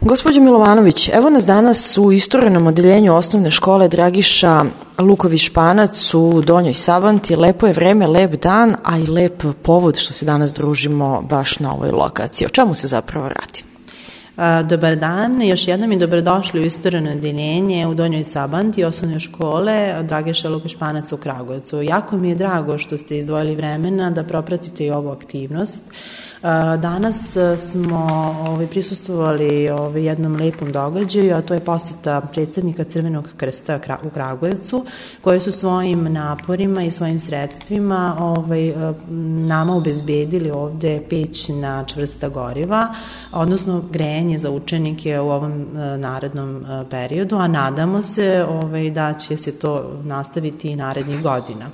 Gospođo Milovanović, evo nas danas u isturenom odeljenju osnovne škole Dragiša Luković-Španac u Donjoj Sabanti. Lepo je vreme, lep dan, a i lep povod što se danas družimo baš na ovoj lokaciji. O čemu se zapravo radi? Dobar dan, još jednom i dobrodošli u istureno odeljenje u Donjoj Sabanti osnovne škole Dragiša Luković-Španac u Kragujevcu. Jako mi je drago što ste izdvojili vremena da propratite i ovu aktivnost. Danas smo prisustvovali jednom lepom događaju, a to je poseta predstavnika Crvenog krsta u Kragujevcu, koji su svojim naporima i svojim sredstvima nama obezbedili ovde peć na čvrsta goriva, odnosno grejanje za učenike u ovom narednom periodu, a nadamo se da će se to nastaviti i narednih godina.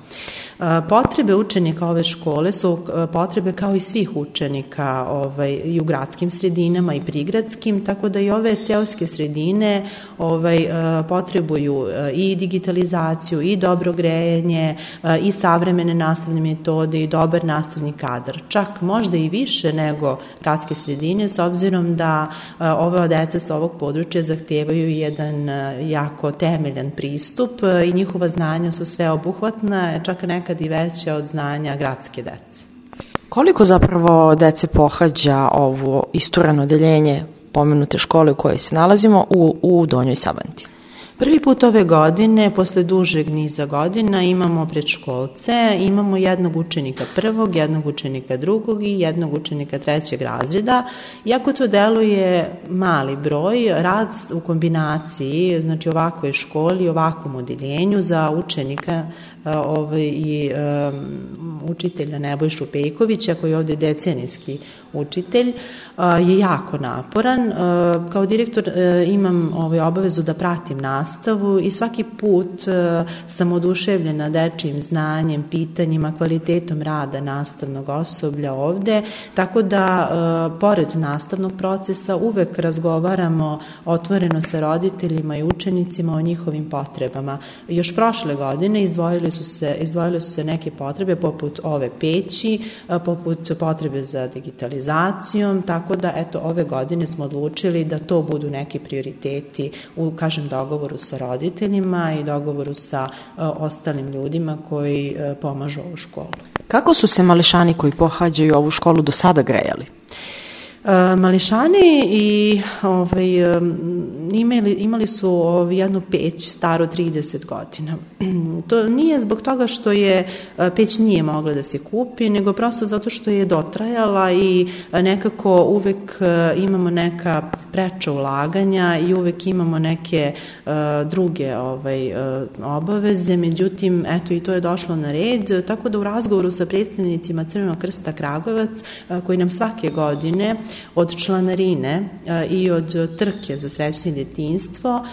Potrebe učenika ove škole su potrebe kao i svih učenika i u gradskim sredinama i prigradskim, tako da i ove seoske sredine potrebuju i digitalizaciju i dobro grejanje i savremene nastavne metode i dobar nastavni kadar. Čak možda i više nego gradske sredine, s obzirom da ova deca sa ovog područja zahtevaju jedan jako temeljan pristup i njihova znanja su sveobuhvatna, čak nekad i veća od znanja gradske dece. Koliko zapravo dece pohađa ovo istureno odeljenje pomenute škole u kojoj se nalazimo u Donjoj Sabanti? Prvi put ove godine, posle dužeg niza godina, imamo predškolce, imamo jednog učenika prvog, jednog učenika drugog i jednog učenika trećeg razreda. Iako to deluje mali broj, rad u kombinaciji, znači ovakvoj školi, ovakvom odeljenju za učenika i učitelja Nebojšu Pejkovića, koji je ovde decenijski učitelj, je jako naporan. Kao direktor imam obavezu da pratim nastavu i svaki put sam oduševljena dečijim znanjem, pitanjima, kvalitetom rada nastavnog osoblja ovde, tako da pored nastavnog procesa uvek razgovaramo otvoreno sa roditeljima i učenicima o njihovim potrebama. Još prošle godine izdvojile su se neke potrebe poput ove peći, poput potrebe za digitalizacijom, tako da ove godine smo odlučili da to budu neki prioriteti u, dogovoru sa roditeljima i dogovoru sa ostalim ljudima koji pomažu ovu školu. Kako su se mališani koji pohađaju ovu školu do sada grejali? Mališani imali su jednu peć staru 30 godina. To nije zbog toga što peć nije mogla da se kupi, nego prosto zato što je dotrajala i nekako uvek imamo neka preča ulaganja i uvek imamo neke druge obaveze, međutim, i to je došlo na red, tako da u razgovoru sa predstavnicima Crvenog krsta Kragujevac, koji nam svake godine od članarine i od trke za srećno detinjstvo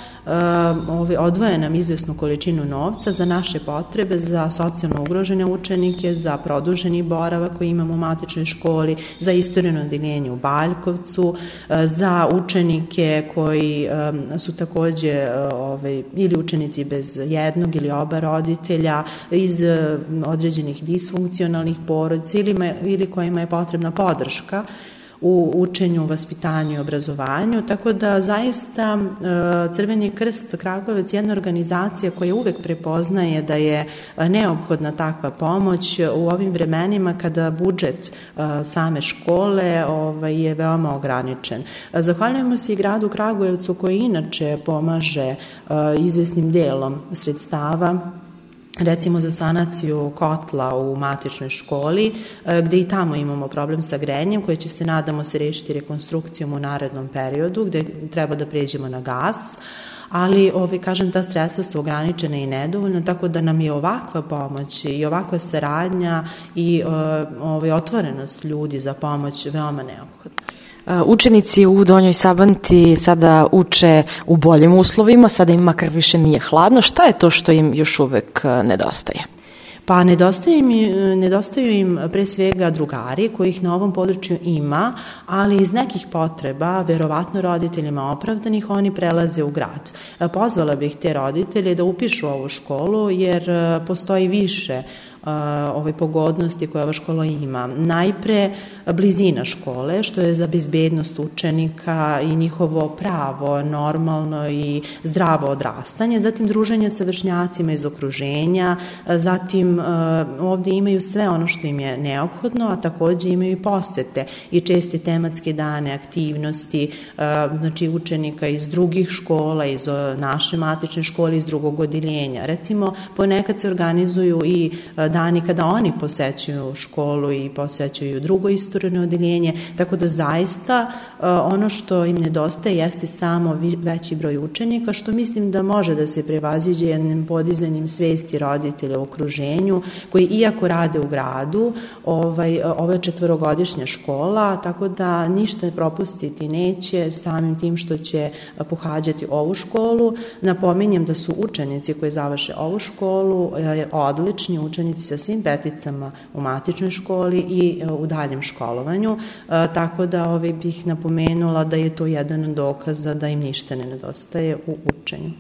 odvoje nam izvesnu količinu novca za naše potrebe, za socijalno ugrožene učenike, za produženi boravak koji imamo u matičnoj školi, za istureno odeljenje u Baljkovcu, za učenike koji su takođe ili učenici bez jednog ili oba roditelja, iz određenih disfunkcionalnih porodica ili kojima je potrebna podrška u učenju, vaspitanju i obrazovanju, tako da zaista Crveni krst Kragujevac je jedna organizacija koja uvek prepoznaje da je neophodna takva pomoć u ovim vremenima kada budžet same škole je veoma ograničen. Zahvaljujemo se i gradu Kragujevcu koji inače pomaže izvesnim delom sredstava, recimo za sanaciju kotla u matičnoj školi, gde i tamo imamo problem sa grejanjem, koji će se, nadamo se, rešiti rekonstrukcijom u narednom periodu, gde treba da pređemo na gas, ali, ta sredstva su ograničena i nedovoljna, tako da nam je ovakva pomoć i ovakva saradnja i otvorenost ljudi za pomoć veoma neophodna. Učenici u Donjoj Sabanti sada uče u boljim uslovima, sada im makar više nije hladno. Šta je to što im još uvek nedostaje? Pa nedostaju im pre svega drugari kojih na ovom području ima, ali iz nekih potreba, verovatno roditeljima opravdanih, oni prelaze u grad. Pozvala bih te roditelje da upišu ovu školu jer postoji više pogodnosti koje ova škola ima. Najpre blizina škole, što je za bezbednost učenika i njihovo pravo, normalno i zdravo odrastanje, zatim druženje sa vršnjacima iz okruženja, zatim ovde imaju sve ono što im je neophodno, a takođe imaju i posete i česti tematske dane, aktivnosti, znači učenika iz drugih škola, iz naše matične škole, iz drugog odeljenja. Recimo, ponekad se organizuju i dani kada oni posećuju školu i posećuju drugo istoreno odeljenje, tako da zaista ono što im nedostaje jeste samo veći broj učenika, što mislim da može da se prevaziđe jednim podizanjem svesti roditelja u okruženju, koji iako rade u gradu, ovo je 4-godišnja škola, tako da ništa propustiti neće samim tim što će pohađati ovu školu. Napominjem da su učenici koji završe ovu školu odlični učenici sa svim peticama u matičnoj školi i u daljem školovanju, tako da bih napomenula da je to jedan od dokaza da im ništa ne nedostaje u učenju.